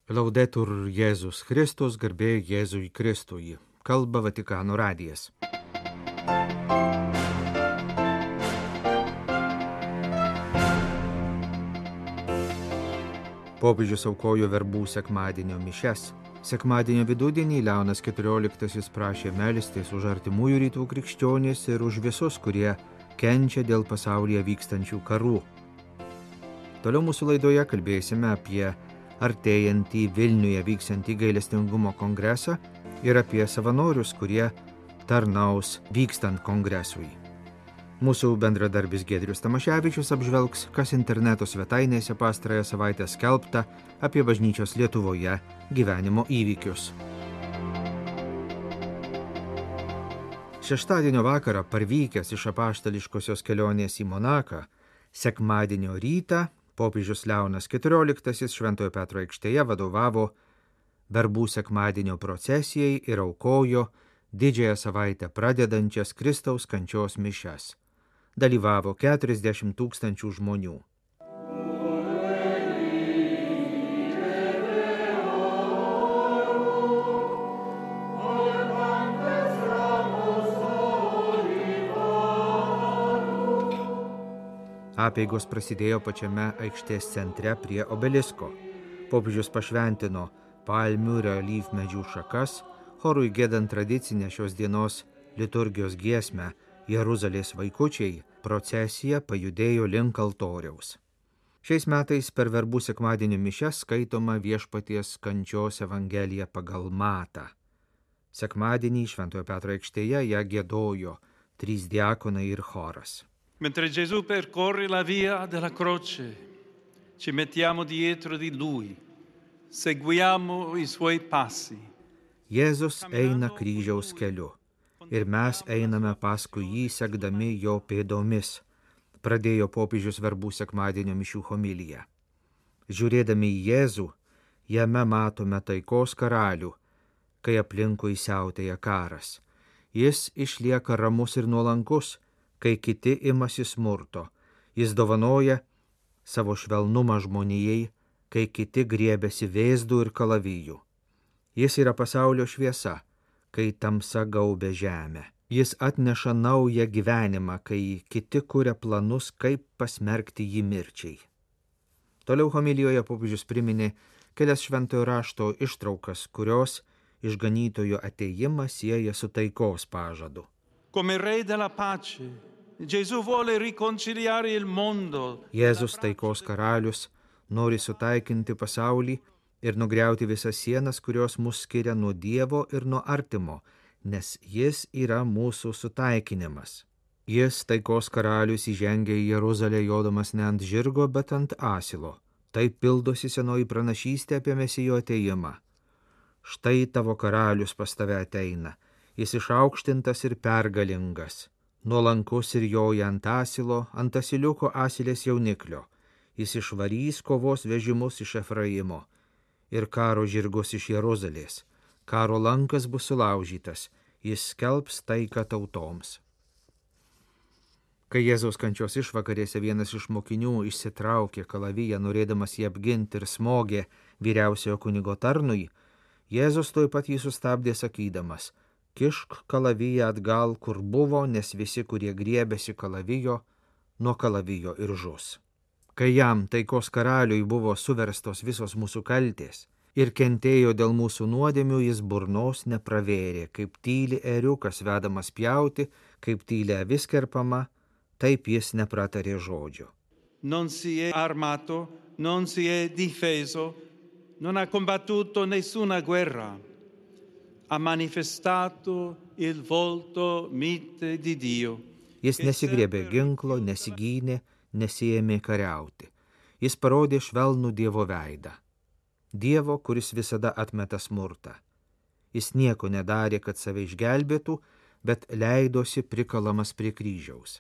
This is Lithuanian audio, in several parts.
Laudetur Jėzus Kristus, garbė Jėzui Kristui. Kalba Vatikano radijas. Popiežius aukojo verbų sekmadienio mišias. Sekmadienio vidudienį Leonas XIV prašė melstis už artimųjų rytų krikščionis ir už visus, kurie kenčia dėl pasaulyje vykstančių karų. Toliau mūsų laidoje kalbėsime apie artėjantį Vilniuje vyksiantį gailestingumo kongresą ir apie savanorius, kurie tarnaus vykstant kongresui. Mūsų bendradarbis Giedrius Tamaševičius apžvelgs, kas interneto svetainėse pastarąją savaitę skelbta apie bažnyčios Lietuvoje gyvenimo įvykius. Šeštadienio vakarą parvykęs iš apaštališkosios kelionės į Monaką, sekmadienio rytą popiežius Leonas XIV Šventojo Petro aikštėje vadovavo verbų sekmadienio procesijai ir aukojo didžiąją savaitę pradedančias Kristaus kančios mišias. Dalyvavo 40 000 žmonių. Apeigos prasidėjo pačiame aikštės centre prie obelisko. Popiežius pašventino palmių ir alyvmedžių šakas, chorui giedant tradicinę šios dienos liturgijos giesmę Jeruzalės vaikučiai, procesija pajudėjo link altoriaus. Šiais metais per verbų sekmadienio mišias skaitoma Viešpaties kančios evangelija pagal Matą. Sekmadienį Šventojo Petro aikštėje ją giedojo 3 diakonai ir choras. Mentre Gesù percorre la via della croce, ci mettiamo dietro di lui, seguiamo I suoi passi. Jėzus eina kryžiaus keliu ir mes einame paskui jį sekdami jo pėdomis, pradėjo popiežius verbų sekmadienio mišių homiliją. Žiūrėdami į Jėzų, jame matome taikos karalių, kai aplinkui siautėja karas. Jis išlieka ramus ir nuolankus, kai kiti imasi smurto. Jis dovanoja savo švelnumą žmonijai, kai kiti griebiasi vėzdų ir kalavijų. Jis yra pasaulio šviesa, kai tamsa gaubia žemę. Jis atneša naują gyvenimą, kai kiti kuria planus, kaip pasmerkti jį mirčiai. Toliau homilijoje popiežius priminė kelias šventojo rašto ištraukas, kurios išganytojo atėjimą sieja su taikos pažadu. Come re della pace, Gesù vuole riconciliare il mondo. Jėzus taikos karalius nori sutaikinti pasaulį ir nugriauti visas sienas, kurios mus skiria nuo Dievo ir nuo artimo, nes jis yra mūsų sutaikinimas. Jis, taikos karalius, įžengia į Jeruzalę jodamas ne ant žirgo, bet ant asilo. Taip pildosi senoji pranašystė apie Mesijo atėjimą. Štai tavo karalius pas tave ateina, jis išaukštintas ir pergalingas, nuolankus ir joja ant asilo, ant asiliuko asilės jauniklio. Jis išvarys kovos vežimus iš Efraimo ir karo žirgus iš Jeruzalės. Karo lankas bus sulaužytas, jis skelbs taiką tautoms. Kai Jėzaus kančios išvakarėse vienas iš mokinių išsitraukė kalaviją, norėdamas jį apginti ir smogė vyriausiojo kunigo tarnui, Jėzus tuoj pat jį sustabdė sakydamas: kišk kalaviją atgal, kur buvo, nes visi, kurie griebėsi kalavijo, nuo kalavijo ir žus. Kai jam, taikos karaliui, buvo suverstos visos mūsų kaltės ir kentėjo dėl mūsų nuodėmių, jis burnos nepravėrė, kaip tyli ėriukas vedamas pjauti, kaip tyli avis kerpama, taip jis nepratarė žodžio. Non si è armato, non si è difeso, non ha combattuto nessuna guerra. Ha manifestato il volto mite di Dio. Jis nesigriebė ginklo, nesigynė, nesiėmė kariauti. Jis parodė švelnų Dievo veidą. Dievo, kuris visada atmeta smurtą. Jis nieko nedarė, kad save išgelbėtų, bet leidosi prikalamas prie kryžiaus.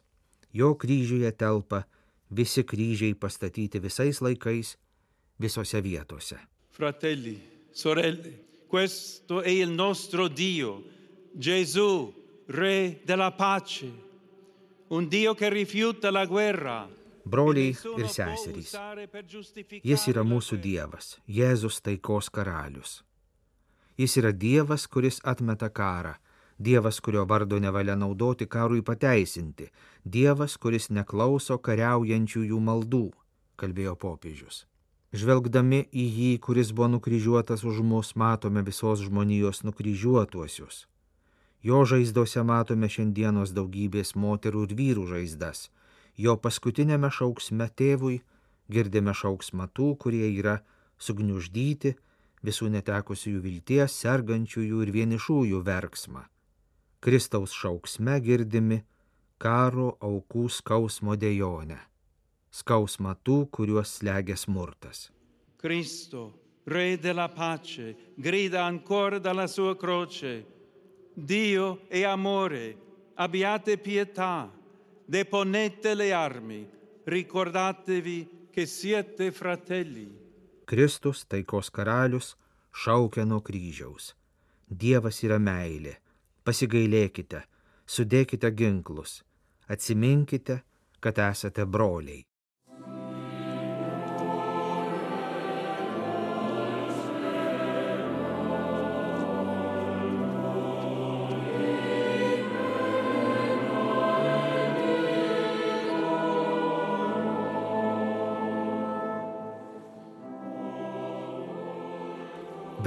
Jo kryžiuje telpa visi kryžiai pastatyti visais laikais, visose vietose. Fratelli, sorelle, questo è il nostro Dio, Gesù, Re della pace, un Dio che rifiuta la guerra. Broliai ir seserys, jis yra mūsų Dievas, Jėzus taikos karalius. Jis yra Dievas, kuris atmeta karą, Dievas, kurio vardo nevalia naudoti karui pateisinti, Dievas, kuris neklauso kariaujančiųjų maldų, kalbėjo popiežius. Žvelgdami į jį, kuris buvo nukryžiuotas už mus, matome visos žmonijos nukryžiuotuosius. Jo žaizdose matome šiandienos daugybės moterų ir vyrų žaizdas. Jo paskutinėme šauksme tėvui girdime šauksmą tų, kurie yra sugniuždyti, visų netekusiųjų vilties, sergančiųjų ir vienišųjų verksmą. Kristaus šauksme girdimi karo aukų skausmo dejonę. Skausmą tų, kuriuos slegia smurtas. Cristo, Re della pace, grida ancora dalla sua croce: Dio è amore, abbiate pietà, deponete le armi, ricordatevi che siete fratelli. Kristus, taikos karalius, šaukia nuo kryžiaus. Dievas yra meilė. Pasigailėkite, sudėkite ginklus, atsiminkite, kad esate broliai.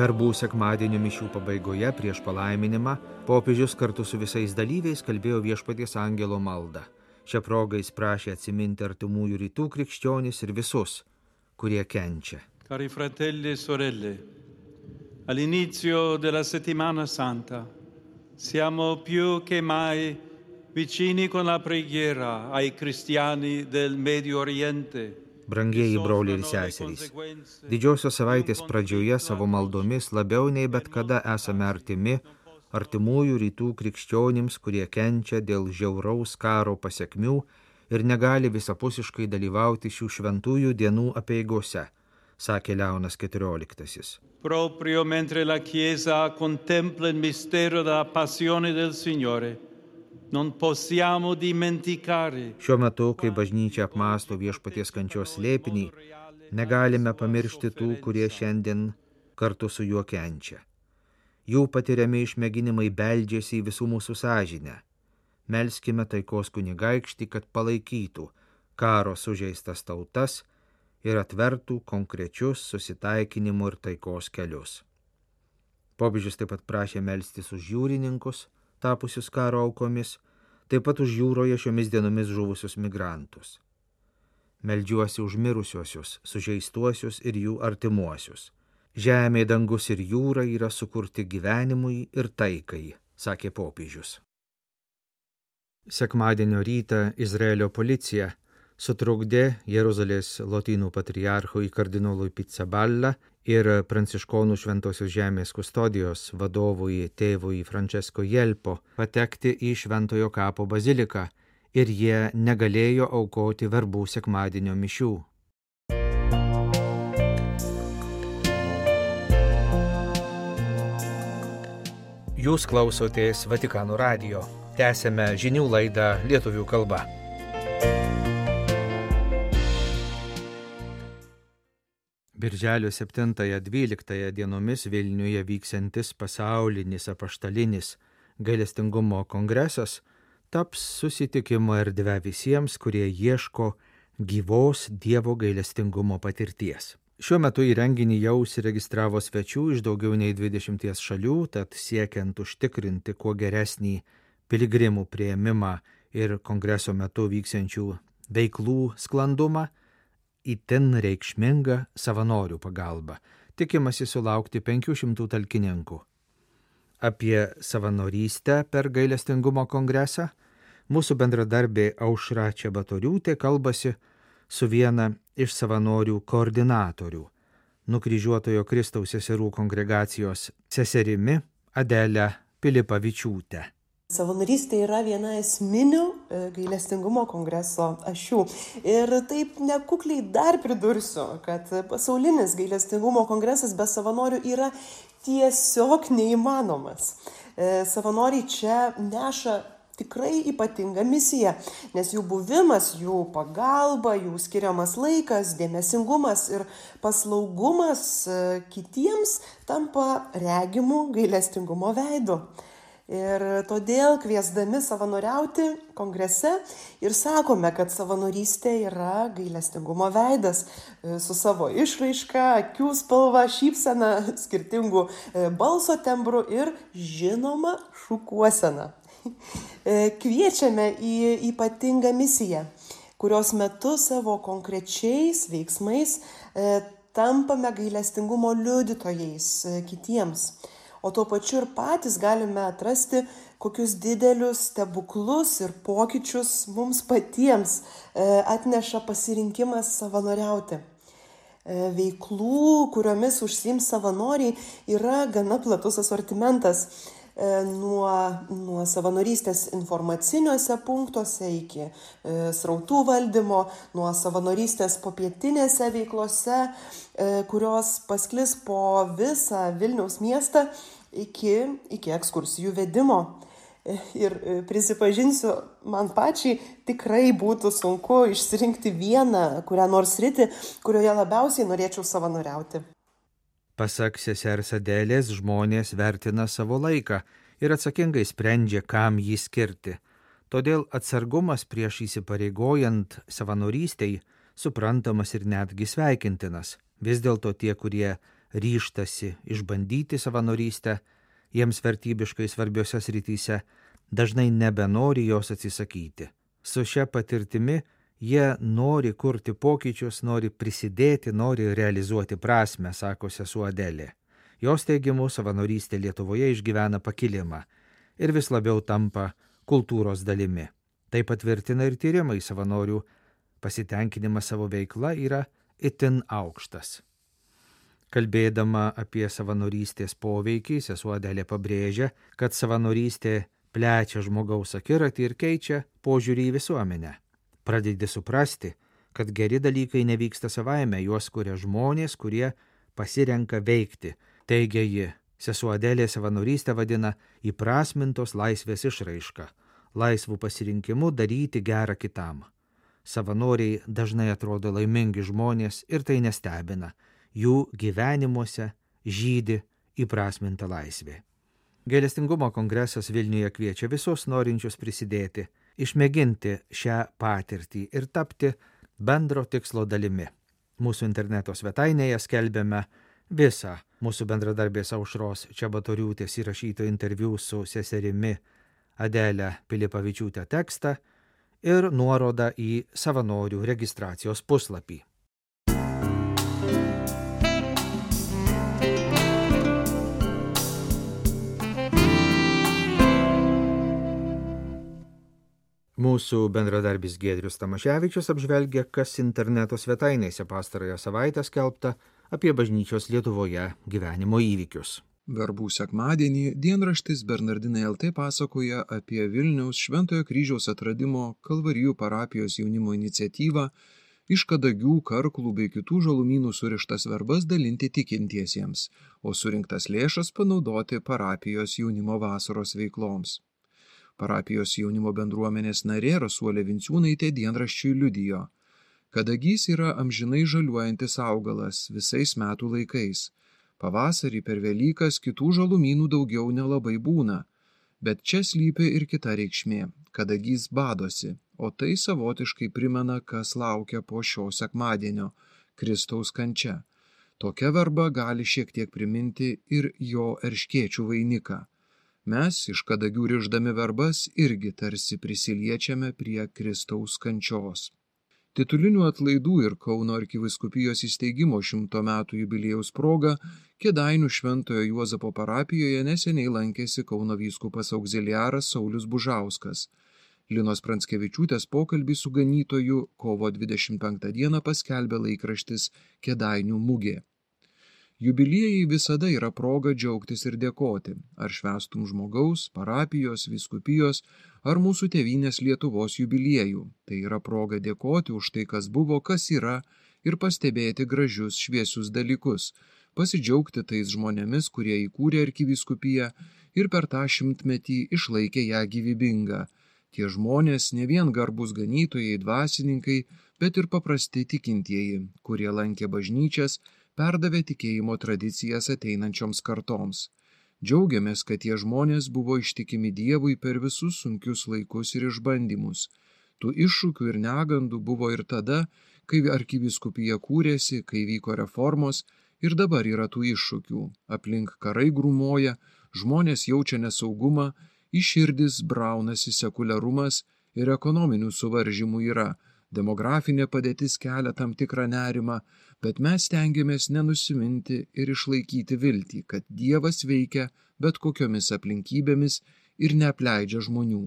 Verbų sekmadienio mišių pabaigoje prieš palaiminimą popiežius kartu su visais dalyviais kalbėjo Viešpaties angelo maldą. Šią progą jis prašė atsiminti artimųjų rytų krikščionis ir visus, kurie kenčia. Cari fratelli e sorelle, all'inizio della settimana santa siamo più che mai vicini con la preghiera ai cristiani del Medio Oriente. Brangieji broliai ir seserys, didžiosios savaitės pradžioje savo maldomis labiau nei bet kada esame artimi artimųjų rytų krikščionims, kurie kenčia dėl žiauraus karo pasekmių ir negali visapusiškai dalyvauti šių šventųjų dienų apeigose, sakė Leonas XIV. Proprio mentre la Chiesa contempla il mistero della passione del Signore, non possiamo dimenticare. Šiuo metu, kai bažnyčia apmąsto Viešpaties kančios slėpinį, negalime pamiršti tų, kurie šiandien kartu su juo kenčia. Jų patiriami išmėginimai beldžiasi į visų mūsų sąžinę. Melskime taikos kunigaikštį, kad palaikytų karo sužeistas tautas ir atvertų konkrečius susitaikinimo ir taikos kelius. Popiežius taip pat prašė melstis už jūrininkus, tapusius karo aukomis, taip pat už jūroje šiomis dienomis žuvusius migrantus. Meldžiuosi už mirusiuosius, sužeistuosius ir jų artimuosius. Žemė, dangus ir jūra yra sukurti gyvenimui ir taikai, sakė popiežius. Sekmadienio rytą Izraelio policija sutrukdė Jeruzalės lotynų patriarchui kardinolui Pizzaballa ir pranciškonų Šventosios žemės kustodijos vadovui tėvui Francesco Jelpo patekti į Šventojo kapo baziliką ir jie negalėjo aukoti verbų sekmadienio mišių. Jūs klausotės Vatikano radijo. Tęsėme žinių laidą lietuvių kalba. Birželio 7-12 dienomis Vilniuje vyksiantis pasaulinis apaštalinis gailestingumo kongresas taps susitikimo erdve visiems, kurie ieško gyvos Dievo gailestingumo patirties. Šiuo metu į renginį jau užsiregistravo svečių iš daugiau nei 20 šalių, tad siekiant užtikrinti kuo geresnį piligrimų priėmimą ir kongreso metu vyksiančių veiklų sklandumą, itin reikšminga savanorių pagalba. Tikimasi sulaukti 500 talkininkų. Apie savanorystę per gailestingumo kongresą mūsų bendradarbė Aušra Čebatoriūtė kalbasi su viena iš savanorių koordinatorių, Nukryžiuotojo Kristaus seserų kongregacijos seserimi Adelė Pilipavičiūtė. Savanorystė yra viena esminių gailestingumo kongreso ašių. Ir taip nekukliai dar pridursiu, kad pasaulinis gailestingumo kongresas be savanorių yra tiesiog neįmanomas. Savanoriai čia neša tikrai ypatinga misija, nes jų buvimas, jų pagalba, jų skiriamas laikas, dėmesingumas ir paslaugumas kitiems tampa regimų gailestingumo veidu. Ir todėl kviesdami savanoriauti kongrese ir sakome, kad savanorystė yra gailestingumo veidas su savo išraiška, akių spalva, šypsena, skirtingų balso tembrų ir žinoma šukuosena. Kviečiame į ypatingą misiją, kurios metu savo konkrečiais veiksmais tampame gailestingumo liudytojais kitiems. O tuo pačiu ir patys galime atrasti, kokius didelius stebuklus ir pokyčius mums patiems atneša pasirinkimas savanoriauti. Veiklų, kuriomis užsiims savanoriai, yra gana platus asortimentas. Nuo savanorystės informaciniuose punktuose iki srautų valdymo, nuo savanorystės popietinėse veiklose, kurios pasklis po visą Vilniaus miestą iki ekskursijų vedimo. Ir prisipažinsiu, man pačiai tikrai būtų sunku išsirinkti vieną kurią nors sritį, kurioje labiausiai norėčiau savanoriauti. Pasak sesers Adelės, žmonės vertina savo laiką ir atsakingai sprendžia, kam jį skirti. Todėl atsargumas prieš įsipareigojant savanorystei suprantamas ir netgi sveikintinas. Vis dėlto tie, kurie ryžtasi išbandyti savanorystę, jiems vertybiškai svarbiose srityse, dažnai nebenori jos atsisakyti. Su šia patirtimi jie nori kurti pokyčius, nori prisidėti, nori realizuoti prasmę, sako sesuo Adelė. Jos teigimu, savanorystė Lietuvoje išgyvena pakilimą ir vis labiau tampa kultūros dalimi. Tai patvirtina ir tyrimai, savanorių pasitenkinimas savo veikla yra itin aukštas. Kalbėdama apie savanorystės poveikį, sesuo Adelė pabrėžia, kad savanorystė plečia žmogaus akiratį ir keičia požiūrį į visuomenę. Pradedi suprasti, kad geri dalykai nevyksta savaime, juos kuria žmonės, kurie pasirenka veikti. Teigia ji, sesuo Adelė savanorystę vadina įprasmintos laisvės išraiška, laisvų pasirinkimų daryti gerą kitam. Savanoriai dažnai atrodo laimingi žmonės ir tai nestebina, jų gyvenimuose žydi įprasminta laisvė. Gailestingumo kongresas Vilniuje kviečia visus norinčius prisidėti, išmėginti šią patirtį ir tapti bendro tikslo dalimi. Mūsų interneto svetainėje skelbiame visą mūsų bendradarbės Aušros Čebatoriūtės įrašyto interviu su seserimi Adelė Pilipavičiūtė tekstą ir nuorodą į savanorių registracijos puslapį. Mūsų bendradarbis Giedrius Tamaševičius apžvelgia, kas interneto svetainėse pastarąją savaitę skelbta apie bažnyčios Lietuvoje gyvenimo įvykius. Verbų sekmadienį dienraštis Bernardinai LT pasakoja apie Vilniaus Šventojo Kryžiaus atradimo Kalvarijų parapijos jaunimo iniciatyvą iš kadagių, karklų bei kitų žalumynų surištas verbas dalinti tikintiesiems, o surinktas lėšas panaudoti parapijos jaunimo vasaros veikloms. Parapijos jaunimo bendruomenės narė Rasuolė Vinciūnaitė dienraščiui liudijo. Kadagys yra amžinai žaliuojantis augalas visais metų laikais. Pavasarį per Velykas kitų žalumynų daugiau nelabai būna. Bet čia slypi ir kita reikšmė. Kadagys badosi, o tai savotiškai primena, kas laukia po šio sekmadienio – Kristaus kančia. Tokia verba gali šiek tiek priminti ir jo erškėčių vainiką. Mes iš kadagių rišdami verbas irgi tarsi prisiliečiame prie Kristaus kančios. Titulinių atlaidų ir Kauno arkivyskupijos įsteigimo 100 metų jubiliejaus proga Kėdainių Šventojo Juozapo parapijoje neseniai lankėsi Kauno vyskupas auxiliaras Saulius Bužauskas. Linos Pranskevičiūtės pokalbį su ganytoju kovo 25 dieną paskelbė laikraštis Kėdainių mugė. Jubiliejai visada yra proga džiaugtis ir dėkoti, ar švęstum žmogaus, parapijos, vyskupijos, ar mūsų tėvynės Lietuvos jubiliejų. Tai yra proga dėkoti už tai, kas buvo, kas yra, ir pastebėti gražius, šviesius dalykus, pasidžiaugti tais žmonėmis, kurie įkūrė arkivyskupiją ir per tą 100-metį išlaikė ją gyvybingą, Tie žmonės ne vien garbus ganytojai, dvasininkai, bet ir paprasti tikintieji, kurie lankė bažnyčias, perdavė tikėjimo tradicijas ateinančioms kartoms. Džiaugiamės, kad tie žmonės buvo ištikimi Dievui per visus sunkius laikus ir išbandymus. Tų iššūkių ir negandų buvo ir tada, kai arkivyskupija kūrėsi, kai vyko reformos, ir dabar yra tų iššūkių. Aplink karai grūmoja, žmonės jaučia nesaugumą, į širdis braunasi sekuliarumas ir ekonominių suvaržymų yra. Demografinė padėtis kelia tam tikrą nerimą, bet mes stengiamės nenusiminti ir išlaikyti viltį, kad Dievas veikia bet kokiomis aplinkybėmis ir neapleidžia žmonių.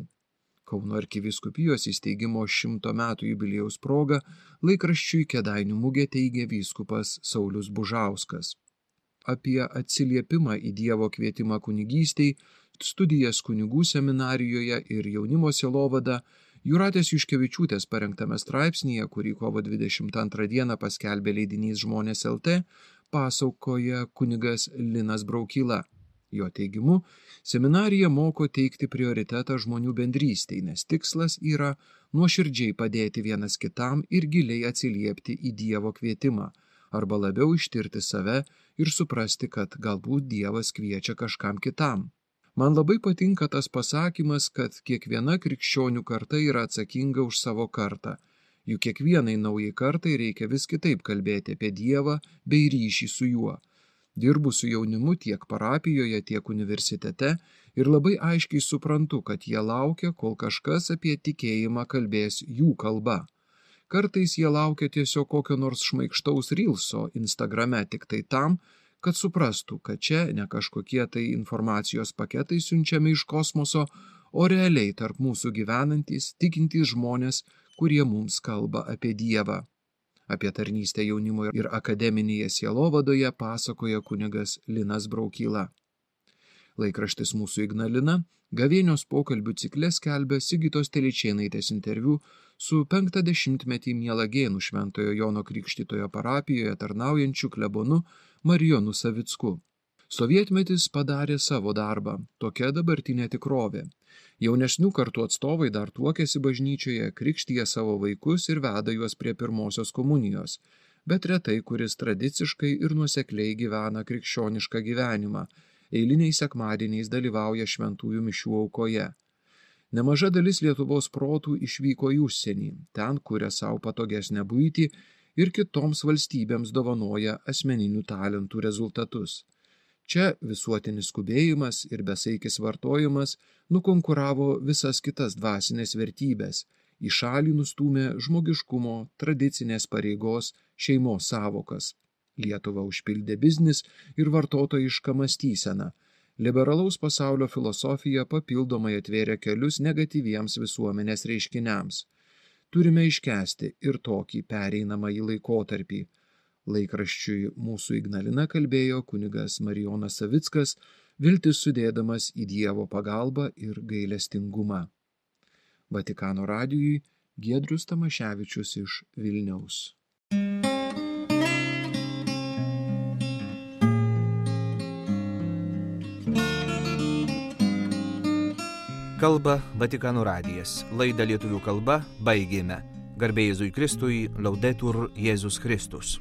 Kauno arkivyskupijos įsteigimo 100 metų jubiliejaus proga laikraščiui Kėdainių mugė teigė vyskupas Saulius Bužauskas. Apie atsiliepimą į Dievo kvietimą kunigystei, studijas kunigų seminarijoje ir jaunimo sielovadą Jūratės Juškevičiūtės parengtame straipsnyje, kurį kovo 22 dieną paskelbė leidinys Žmonės LT, pasakoja kunigas Linas Braukyla. Jo teigimu, seminarija moko teikti prioritetą žmonių bendrystei, nes tikslas yra nuoširdžiai padėti vienas kitam ir giliai atsiliepti į Dievo kvietimą, arba labiau ištirti save ir suprasti, kad galbūt Dievas kviečia kažkam kitam. Man labai patinka tas pasakymas, kad kiekviena krikščionių karta yra atsakinga už savo kartą. Juk kiekvienai naujai kartai reikia vis kitaip kalbėti apie Dievą bei ryšį su juo. Dirbu su jaunimu tiek parapijoje, tiek universitete ir labai aiškiai suprantu, kad jie laukia, kol kažkas apie tikėjimą kalbės jų kalba. Kartais jie laukia tiesiog kokio nors šmaikštaus rylso Instagrame tik tai tam, kad suprastų, kad čia ne kažkokie tai informacijos paketai siunčiami iš kosmoso, o realiai tarp mūsų gyvenantys, tikintys žmonės, kurie mums kalba apie Dievą. Apie tarnystę jaunimo ir akademinėje sielovadoje pasakoja kunigas Linas Braukyla. Laikraštis Mūsų Ignalina gavėnios pokalbių cikle skelbia Sigitos Telyčėnaitės interviu su 50-metį Mielagėnų Šventojo Jono Krikštytojo parapijoje tarnaujančiu klebonu Marijonu Savicku. Sovietmetis padarė savo darbą, tokia dabartinė tikrovė. Jaunesnių kartų atstovai dar tuokėsi bažnyčioje, krikštyje savo vaikus ir veda juos prie pirmosios komunijos, bet retai kuris tradiciškai ir nuosekliai gyvena krikščionišką gyvenimą, eiliniais sekmadieniais dalyvauja šventųjų mišių aukoje. Nemaža dalis Lietuvos protų išvyko į užsienį, ten kuria savo patogesnę buitį ir kitoms valstybėms dovanoja asmeninių talentų rezultatus. Čia visuotinis skubėjimas ir besaikis vartojimas nukonkuravo visas kitas dvasinės vertybės, į šalį nustūmė žmogiškumo, tradicinės pareigos, šeimos savokas. Lietuvą užpildė biznis ir vartotojiška mąstysena. Liberalaus pasaulio filosofija papildomai atvėrė kelius negatyviems visuomenės reiškiniams. Turime iškęsti ir tokį pereinamąjį laikotarpį. Laikraščiui Mūsų Ignalina kalbėjo kunigas Marijonas Savickas, viltis sudėdamas į Dievo pagalbą ir gailestingumą. Vatikano radijui Giedrius Tamaševičius iš Vilniaus. Kalba Vatikano radijas. Laidą lietuvių kalba baigėme. Garbė Jėzui Kristui, Laudetur Jėzus Kristus.